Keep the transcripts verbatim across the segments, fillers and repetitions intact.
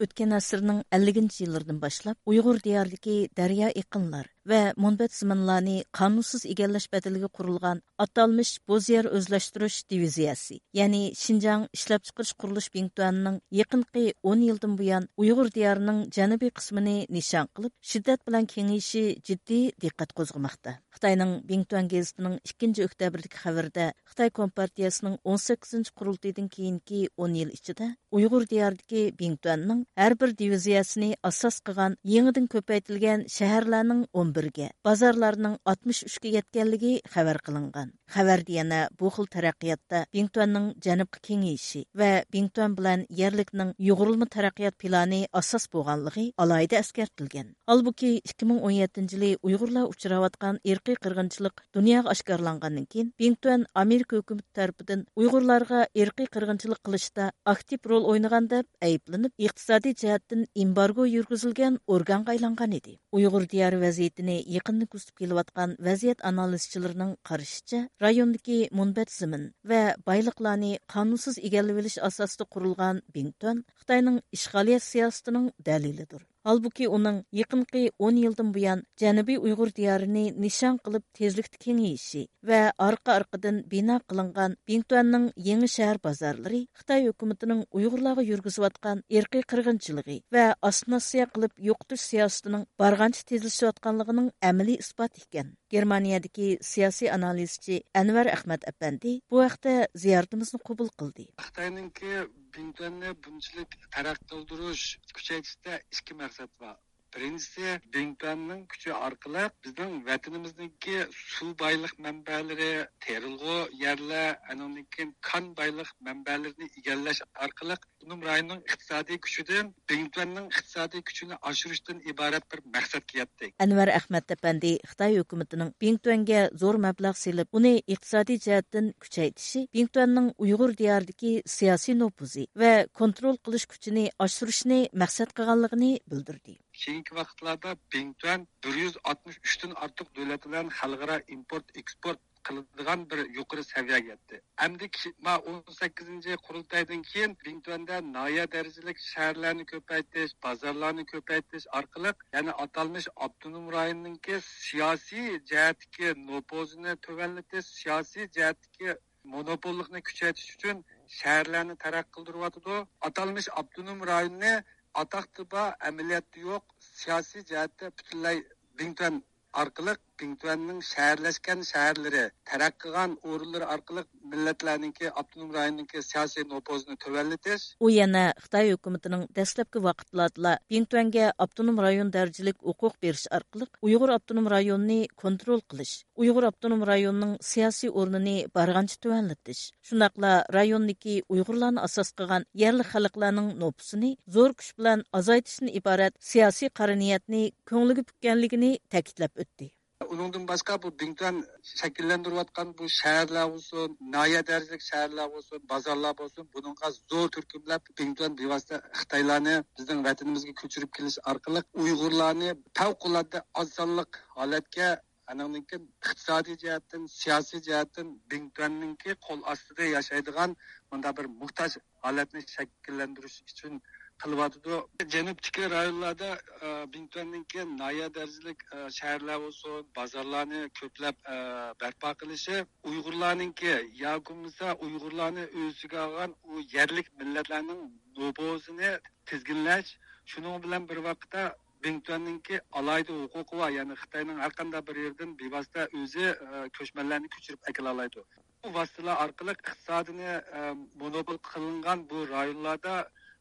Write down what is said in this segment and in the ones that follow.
ئۆتكەن ئەسىرنىڭ ئەللىكىنچى يىللىرىدىن باشلاپ ئۇيغۇر دىيارىدىكى دەريا ئېقىنلار ۋە مۇنبەت زېمىنلارنى قانۇنسىز ئىگىلەش بەدىلىگە قۇرۇلغان ئاتالمىش بوز يەر ئۆزلەشتۈرۈش دىۋىزىيەسى، يەنى شىنجاڭ ئىشلەپچىقىرىش قۇرۇلۇش بىڭتۈەنىنىڭ يېقىنقى ئون يىلدىن بۇيان ئۇيغۇر دىيارىنىڭ جەنۇبىي قىسمىنى نىشان قىلىپ، شىددەت بىلەن كېڭىيىشى جىددىي دىققەت قوزغىماقتا. خىتاينىڭ بىڭتۈەن گېزىتىنىڭ ئىككىنچى ئۆكتەبىردىكى خەۋىرىدە، خىتاي كومپارتىيەسىنىڭ ئون سەككىزىنچى قۇرۇلتىيىدىن كېيىنكى ئون يىل ئىچىدە ئۇيغۇر دىيارىدىكى بىڭتۈەننىڭ ھەر بىر دىۋىزىيەسىنى ئاساس قىلغان يېڭىدىن كۆپەيتىلگەن شەھەرلەرنىڭ ئون بىرگە، بازارلارنىڭ ئاتمىش ئۈچكە يەتكەنلىكى خەۋەر قىلىنغان. خەۋەردە يەنە بۇ خىل تەرەققىياتتا بىڭتۈەننىڭ جەنۇبقا كېڭىيىشى ۋە بىڭتۈەن بىلەن يەرلىكنىڭ يۇغۇرۇلما تەرەققىيات پىلانى ئاساس بولغانلىقى ئالاھىدە ئەسكەرتىلگەن. ھالبۇكى، ئىككى مىڭ ئون يەتتىنچى يىلى ئۇيغۇرلار ئۇچراۋاتقان ئىرقىي قىرغىنچىلىق دۇنياغا ئاشكارىلانغاندىن كېيىن، بىڭتۈەن ئامېرىكا ھۆكۈمىتى تەرىپىدىن ئۇيغۇرلارغا ئىرقىي قىرغىنچىلىق قىلىشتا ئاكتىپ رول ئوينىغان دەپ ئەيىبلىنىپ، ئىقتىسادىي جەھەتتىن ئېمبارگو يۈرگۈزۈلگەن ئورگانغا ئايلانغان ئىدى. ئۇيغۇر دىيارى ۋەزىيىتىنى يېقىندىن كۆزىتىپ كېلىۋاتقان ۋەزىيەت ئانالىزچىلىرىنىڭ قارىشىچە، رايوندىكى مۇنبەت زېمىن ۋە بايلىقلارنى قانۇنسىز ئىگىلىۋېلىش ئاساسىدا قۇرۇلغان بىڭتۈەن خىتاينىڭ ئىشغالىيەت سىياسىتىنىڭ دەلىلىدۇر. ھالبۇكى، ئۇنىڭ يېقىنقى ئون يىلدىن بۇيان جەنۇبىي ئۇيغۇر دىيارىنى نىشان قىلىپ تېزلىكتە كېڭىيىشى ۋە ئارقا-ئارقىدىن بىنا قىلىنغان بىڭتۈەننىڭ يېڭى شەھەر بازارلىرى خىتاي ھۆكۈمىتىنىڭ ئۇيغۇرلارغا يۈرگۈزۈۋاتقان ئىرقىي قىرغىنچىلىقى ۋە ئاسسىمىلياتسىيە قىلىپ يوقىتىش سىياسىتىنىڭ بارغانچە تېزلىشىۋاتقانلىقىنىڭ ئەمەلىي ئىسپاتى ئىكەن. گېرمانىيەدىكى سىياسىي ئانالىزچى ئەنۋەر ئەخمەت ئەپەندى بۇ ھەقتە زىيارىتىمىزنى قوبۇل قىلدى. خىتاينىڭكى بىڭتۈەننى بۇنچىلىك تەرەققىي قىلدۇرۇش، كۈچەيتىشتە ئىككى مەقسەت بار. بىرىنچىسى، بىڭتۈەننىڭ كۈچى ئارقىلىق بىزنىڭ ۋەتىنىمىزنىڭكى سۇ بايلىق مەنبەلىرى، تېرىلغۇ يەرلەر، ئانىڭدىن كېيىن كان بايلىق مەنبەلىرىنى ئىگىلەش ئارقىلىق ئاپتونوم رايوننىڭ ئىقتىسادىي كۈچىدىن بىڭتۈەننىڭ ئىقتىسادىي كۈچىنى ئاشۇرۇشتىن ئىبارەت بىر مەقسەتكە يەتتى. ئەنۋەر ئەخمەت ئەپەندى خىتاي ھۆكۈمىتىنىڭ بىڭتۈەنگە زور مەبلەغ سېلىپ، ئۇنى ئىقتىسادىي جەھەتتىن كۈچەيتىشى بىڭتۈەننىڭ ئۇيغۇر دىيارىدىكى سىياسىي نوپۇزى ۋە كونترول قىلىش كۈچىنى ئاشۇرۇشنى مەقسەت قىلغانلىقىنى بىلدۈردى. كېيىنكى ۋاقىتلاردا بىڭتۈەن بىر يۈز ئاتمىش ئۈچتىن ئارتۇق دۆلەت بىلەن خەلقئارا ئىمپورت ئېكسپورت قىلىدىغان بىر يۇقىرى سەۋىيەگە يەتتى. ئەمدى كى-، ما ئون سەككىزىنچى قۇرۇلتايدىن كېيىن بىڭتۈەندە ناھىيە دەرىجىلىك شەھەرلەرنى كۆپەيتىش، بازارلارنى كۆپەيتىش ئارقىلىق يەنە ئاتالمىش ئاپتونوم رايوننىڭكى سىياسىي جەھەتتىكى نوپۇزىنى تۆۋەنلىتىش، سىياسىي جەھەتتىكى مونوپوللۇقنى كۈچەيتىش ئۈچۈن شەھەرلەرنى تەرەققىي قىلدۇرۇۋاتىدۇ. ئاتالمىش ئاپتونوم رايوننى ئاتاقتا بار، ئەمەلىيەتتە يوق، سىياسىي جەھەتتە پۈتۈنلەي بىڭتۈەن ئارقىلىق، بىڭتۈەننىڭ شەھەرلەشكەن شەھەرلىرى، تەرەققىي قىلغان ئورۇنلىرى ئارقىلىق مىللەتلەرنىڭكى، ئاپتونوم رايوننىڭكى سىياسىي نوپۇزىنى تۆۋەنلىتىش. ئۇ يەنە خىتاي ھۆكۈمىتىنىڭ دەسلەپكى ۋاقىتلاردىلا بىڭتۈەنگە ئاپتونوم رايون دەرىجىلىك ھوقۇق بېرىش ئارقىلىق ئۇيغۇر ئاپتونوم رايونىنى كونترول قىلىش، ئۇيغۇر ئاپتونوم رايونىنىڭ سىياسىي ئورنىنى بارغانچە تۆۋەنلىتىش، شۇنداقلا رايوندىكى ئۇيغۇرلارنى ئاساس قىلغان يەرلىك خەلقلەرنىڭ نوپۇسىنى زور كۈچ بىلەن ئازايتىشتىن ئىبارەت سىياسىي قارا نىيەتنى كۆڭلىگە پۈككەنلىكىنى تەكىتلەپ ئۆتتى. ئۇنىڭدىن باشقا، بۇ بىڭتۈەن شەكىللەندۈرۈۋاتقان بۇ شەھەرلەر بولسۇن، ناھىيە دەرىجىلىك شەھەرلەر بولسۇن، بازارلار بولسۇن، بۇنىڭغا زور تۈركۈملەپ بىڭتۈەن بىۋاسىتە خىتايلارنى بىزنىڭ ۋەتىنىمىزگە كۆچۈرۈپ كېلىش ئارقىلىق ئۇيغۇرلارنى پەۋقۇلئاددە ئاز سانلىق ھالەتكە، ئانىڭدىن كېيىن ئىقتىسادىي جەھەتتىن، سىياسىي جەھەتتىن بىڭتۈەننىڭكى قول ئاستىدا ياشايدىغان مۇنداق بىر موھتاج ھالەتنى شەكىللەندۈرۈش ئۈچۈن قىلىۋاتىدۇ. جەنۇبتىكى رايونلاردا، ئە، بىڭتۈەننىڭكى ناھىيە دەرىجىلىك، ئە، شەھەرلەر بولسۇن، بازارلارنى كۆپلەپ، ئە، بەرپا قىلىشى، ئۇيغۇرلارنىڭكى ياكى بولمىسا ئۇيغۇرلارنى ئۆز ئىچىگە ئالغان ئۇ يەرلىك مىللەتلەرنىڭ نوپۇزىنى تىزگىنلەش، شۇنىڭ بىلەن بىر ۋاقىتتا بىڭتۈەننىڭكى ئالاھىدە ھوقۇقى بار، يەنى خىتاينىڭ ھەر قانداق بىر يېرىدىن بىۋاسىتە ئۆزى، ئە، كۆچمەنلەرنى كۆچۈرۈپ ئەكېلەلايدۇ. بۇ ۋاسىتىلەر ئارقىلىق ئىقتىسادىنى، ئە، مونوپول قىلىنغان بۇ رايونلاردا،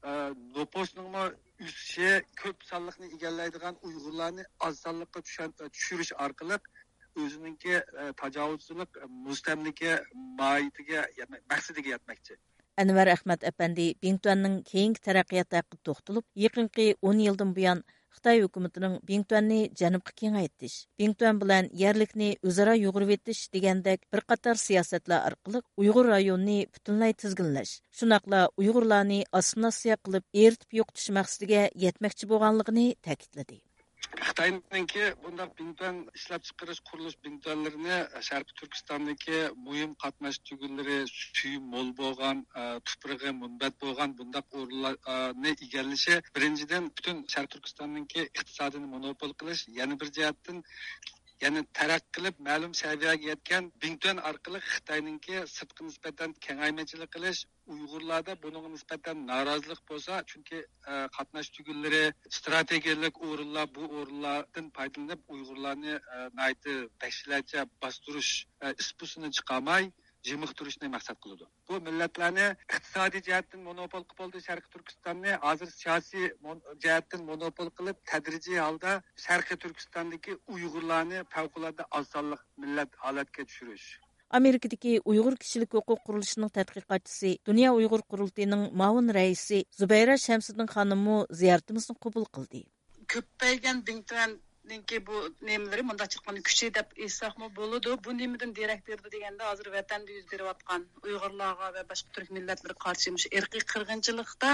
ئە، نوپۇسنىڭمۇ ئۆسۈشى، كۆپ سانلىقنى ئىگىلەيدىغان ئۇيغۇرلارنى ئاز سانلىققا چۈشەن-، چۈشۈرۈش ئارقىلىق ئۆزىنىڭكى، ئە، تاجاۋۇزچىلىق، مۇستەملىكە ماھىيىتىگە يەتمە-، مەقسىتىگە يەتمەكچى. ئەنۋەر ئەخمەت ئەپەندى بىڭتۈەننىڭ كېيىنكى تەرەققىياتى ھەققىدە توختىلىپ، يېقىنقى ئون يىلدىن بۇيان خىتاي ھۆكۈمىتىنىڭ بىڭتۈەننى جەنۇبقا كېڭەيتىش، بىڭتۈەن بىلەن يەرلىكنى ئۆزئارا يۇغۇرۇۋېتىش دېگەندەك بىر قاتار سىياسەتلەر ئارقىلىق ئۇيغۇر رايونىنى پۈتۈنلەي تىزگىنلەش، شۇنداقلا ئۇيغۇرلارنى ئاسسىمىلياتسىيە قىلىپ ئېرىتىپ يوقىتىش مەقسىتىگە يەتمەكچى بولغانلىقىنى تەكىتلىدى. خىتاينىڭكى بۇنداق بىڭتۈەن ئىشلەپچىقىرىش، قۇرۇلۇش بىڭتۈەنلىرىنى شەرقىي تۈركىستاندىكى مۇھىم قاتناش تۈگۈنلىرى، سۈيى مول بولغان، ئە، تۇپرىقى مۇنبەت بولغان بۇنداق ئورۇنلارنى ئىگىلىشى، بىرىنچىدىن، پۈتۈن شەرقىي تۈركىستاننىڭكى ئىقتىسادىنى مونوپول قىلىش، يەنە بىر جەھەتتىن، يەنە تەرەققىي قىلىپ، مەلۇم سەۋىيەگە يەتكەن بىڭتۈەن ئارقىلىق خىتاينىڭكى سىرتقا نىسبەتەن كېڭەيمىچىلىك قىلىش، ئۇيغۇرلاردا بۇنىڭغا نىسبەتەن نارازىلىق بولسا، چۈنكى، ئە، قاتناش تۈگۈنلىرى، ئىستراتېگىيەلىك ئورۇنلار، بۇ ئورۇنلاردىن پايدىلىنىپ، ئۇيغۇرلارنى، ئە، ناھايىتى ۋەھشىيلەرچە باستۇرۇش، ئە، ئىس-پۇسىنى چىقارماي، جىمىقتۇرۇشنى مەقسەت قىلىدۇ. بۇ مىللەتلەرنى ئىقتىسادىي جەھەتتىن مونوپول قىلىپ بولدى، شەرقىي تۈركىستاننى. ھازىر سىياسىي مون-، جەھەتتىن مونوپول قىلىپ، تەدرىجىي ھالدا شەرقىي تۈركىستاندىكى ئۇيغۇرلارنى پەۋقۇلئاددە ئاز سانلىق مىللەت ھالەتكە چۈشۈرۈش. ئامېرىكىدىكى ئۇيغۇر كىشىلىك ھوقۇق قۇرۇلۇشىنىڭ تەتقىقاتچىسى، دۇنيا ئۇيغۇر قۇرۇلتىيىنىڭ مۇئاۋىن رەئىسى زۇبەيرە شەمسىدىن خانىممۇ زىيارىتىمىزنى قوبۇل قىلدى. كۆپەيگەن بىڭتۈەننىڭكى بۇ نېمىلىرى، مۇنداقچە ئېيتقاندا، كۈچى دەپ ئېيتساقمۇ بولىدۇ. بۇ نېمىدىن دېرەك بېرىدۇ دېگەندە، ھازىر ۋەتەندە يۈز بېرىۋاتقان ئۇيغۇرلارغا ۋە باشقا تۈرك مىللەتلىرىگە قارشى مۇشۇ ئىرقىي قىرغىنچىلىقتا،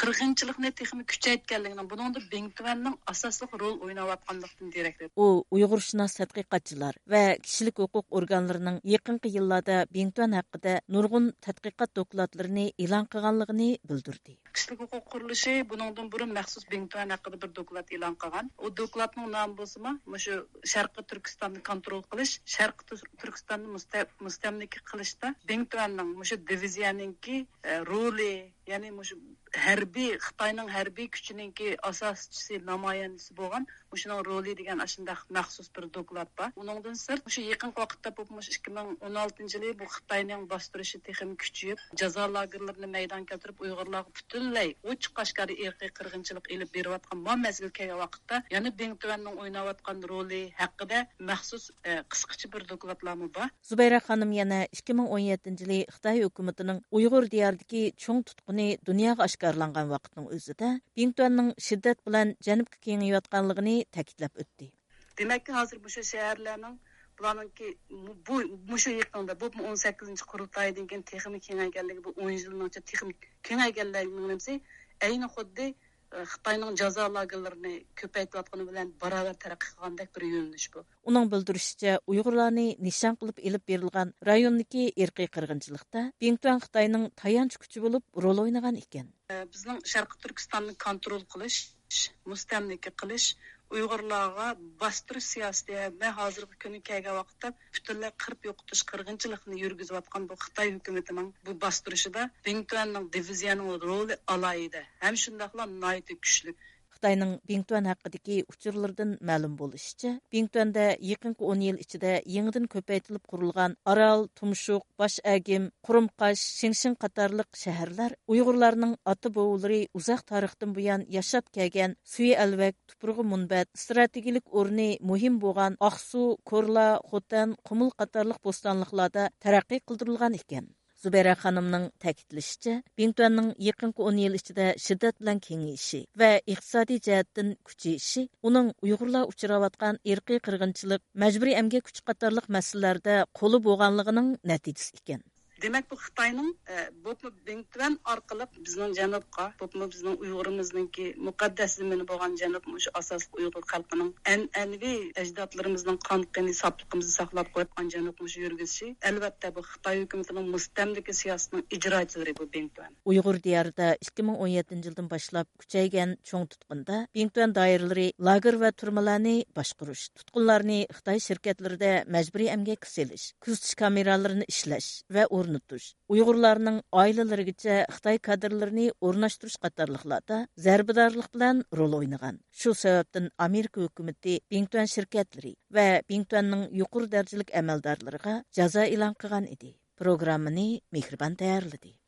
قىرغىنچىلىقنى تېخىمۇ كۈچەيتكەنلىكىنىڭ، بۇنىڭدا بىڭتۈەننىڭ ئاساسلىق رول ئويناۋاتقانلىقىدىن دېرەك بېرىدۇ. ئۇ ئۇيغۇرشۇناس تەتقىقاتچىلار ۋە كىشىلىك ھوقۇق ئورگانلىرىنىڭ يېقىنقى يىللاردا بىڭتۈەن ھەققىدە نۇرغۇن تەتقىقات دوكلاتلىرىنى ئېلان قىلغانلىقىنى بىلدۈردى. كىشىلىك ھوقۇق قۇرۇلۇشى بۇنىڭدىن بۇرۇن مەخسۇس بىڭتۈەن ھەققىدە بىر دوكلات ئېلان قىلغان. ئۇ دوكلاتنىڭ نامى بولسىمۇ مۇشۇ شەرقىي تۈركىستاننى كونترول قىلىش، شەرقىي تۈر-، تۈركىستاننى مۇستە-، مۇستەملىكە قىلىشتا بىڭتۈەننىڭ مۇشۇ دىۋىزىيەنىڭكى، ئە، رولى، يەنى مۇشۇ ھەربىي، خىتاينىڭ ھەربىي كۈچىنىڭكى ئاساسچىسى، نامايەندىسى بولغان مۇشۇنىڭ رولى دېگەن ئاشۇنداق مەخسۇس بىر دوكلات بار. ئۇنىڭدىن سىرت، مۇشۇ يېقىنقى ۋاقىتتا، بولۇپمۇ مۇشۇ ئىككى مىڭ ئون ئالتىنچى يىلى بۇ خىتاينىڭ باستۇرۇشى تېخىمۇ كۈچىيىپ، جازا لاگېرلىرىنى مەيدانغا كەلتۈرۈپ، ئۇيغۇرلارغا پۈتۈنلەي ئوچۇق ئاشكارا ئىرقىي قىرغىنچىلىق ئېلىپ بېرىۋاتقان ما مەزگىل كەلگەن ۋاقىتتا، يەنە بىڭتۈەننىڭ ئويناۋاتقان رولى ھەققىدە مەخسۇس، ئە، قىسقىچە بىر دوكلاتلارمۇ بار. زۇبەيرە خانىم يەنە ئىككى مىڭ ئون يەتتىنچى يىلى خىتاي ھۆكۈمىتىنىڭ ئۇيغۇر دىيارىدىكى چوڭ تۇتقۇنى دۇنياغا ئاشكارىلانغان ۋاقىتنىڭ ئۆزىدە، بىڭتۈەننىڭ شىددەت بىلەن جەنۇبقا كېڭىيىۋاتقانلىقىنى تەكىتلەپ ئۆتتى. دېمەككى، ھازىر مۇشۇ شەھەرلەرنىڭ، بۇلارنىڭكى بۇ، مۇشۇ يېقىندا، بۇ ئون سەككىزىنچى قۇرۇلتايدىن كېيىن تېخىمۇ كېڭەيگەنلىكى، بۇ ئون يىلنىڭ ئىچىدە تېخىمۇ كېڭەيگەنلىكىنىڭ نېمىسى، ئەينى خۇددى، ئى، خىتاينىڭ جازا لاگېرلىرىنى كۆپەيتىۋاتقىنى بىلەن باراۋەر تەرەققىي قىلغاندەك بىر يۆنىلىش بۇ. ئۇنىڭ بىلدۈرۈشىچە، ئۇيغۇرلارنى نىشان قىلىپ ئېلىپ بېرىلغان رايوندىكى ئىرقىي قىرغىنچىلىقتا بىڭتۈەن خىتاينىڭ تايانچ كۈچى بولۇپ رول ئوينىغان ئىكەن. بىزنىڭ شەرقىي تۈركىستاننى كونترول قىلىش، مۇستەملىكە قىلىش، ئۇيغۇرلارغا باستۇرۇش سىياسىتى ھەم ھازىرقى كۈنگە كەلگەن ۋاقىتتا پۈتۈنلەي قىرىپ يوقىتىش قىرغىنچىلىقىنى يۈرگۈزۈۋاتقان بۇ خىتاي ھۆكۈمىتىنىڭ بۇ باستۇرۇشىدا بىڭتۈەننىڭ دىۋىزىيەنىڭ رولى ئالاھىدە ھەم شۇنداقلا ناھايىتى كۈچلۈك. خىتاينىڭ بىڭتۈەن ھەققىدىكى ئۇچۇرلىرىدىن مەلۇم بولۇشىچە، بىڭتۈەندە يېقىنقى ئون يىل ئىچىدە يېڭىدىن كۆپەيتىلىپ قۇرۇلغان ئارال، تۇمشۇق، باش ئەگىم، قۇرۇمقاش، شىڭشىڭ قاتارلىق شەھەرلەر ئۇيغۇرلارنىڭ ئاتا-بوۋىلىرى ئۇزاق تارىختىن بۇيان ياشاپ كەلگەن سۈيى ئەلۋەك، تۇپرىقى مۇنبەت، ئىستراتېگىيەلىك ئورنى مۇھىم بولغان ئاقسۇ، كورلا، خوتەن، قۇمۇل قاتارلىق بوستانلىقلاردا تەرەققىي قىلدۇرۇلغان ئىكەن. زۇبەيرە خانىمنىڭ تەكىتلىشىچە، بىڭتۈەننىڭ يېقىنقى ئون يىل ئىچىدە شىددەت بىلەن كېڭىيىشى ۋە ئىقتىسادىي جەھەتتىن كۈچىيىشى ئۇنىڭ ئۇيغۇرلار ئۇچراۋاتقان ئىرقىي قىرغىنچىلىق، مەجبۇرىي ئەمگەك كۈچى قاتارلىق مەسىلىلەردە قولى بولغانلىقىنىڭ نەتىجىسى ئىكەن. دېمەك، بۇ خىتاينىڭ، ئە، بولۇپمۇ بىڭتۈەن ئارقىلىق بىزنىڭ جەنۇبقا، بولۇپمۇ بىزنىڭ ئۇيغۇرىمىزنىڭكى مۇقەددەس زېمىنى بولغان جەنۇب، مۇشۇ ئاساسلىق ئۇيغۇر خەلقىنىڭ ئەنئەنىۋى ئەجدادلىرىمىزنىڭ قان قېنى ساپلىقىمىزنى ساقلاپ قويۇپ، جەنۇب مۇشۇ يۈرگۈزۈشى، ئەلۋەتتە، بۇ خىتاي ھۆكۈمىتىنىڭ مۇستەملىكە سىياسىتىنىڭ ئىجراچىلىرى بۇ بىڭتۈەن. ئۇيغۇر دىيارىدا ئىككى مىڭ ئون يەتتىنچى يىلدىن باشلاپ كۈچەيگەن چوڭ تۇتقۇندا بىڭتۈەن دائىرىلىرى لاگېر ۋە تۈرمىلەرنى باشقۇرۇش، تۇتقۇنلارنى خىتاي شىركەتلىرىدە مەجبۇرىي ئەمگەككە سېلىش، كۆزىتىش كامېرالىرىنى ئىشلەش ۋە ئورنىتىش، ئۇيغۇرلارنىڭ ئائىلىلىرىگىچە خىتاي كادىرلىرىنى ئورۇنلاشتۇرۇش قاتارلىقلاردا زەربىدارلىق بىلەن رول ئوينىغان. شۇ سەۋەبتىن ئامېرىكا ھۆكۈمىتى بىڭتۈەن شىركەتلىرى ۋە بىڭتۈەننىڭ يۇقىرى دەرىجىلىك ئەمەلدارلىرىغا جازا ئېلان قىلغان ئىدى. پروگراممىنى مېھرىبان تەييارلىدى.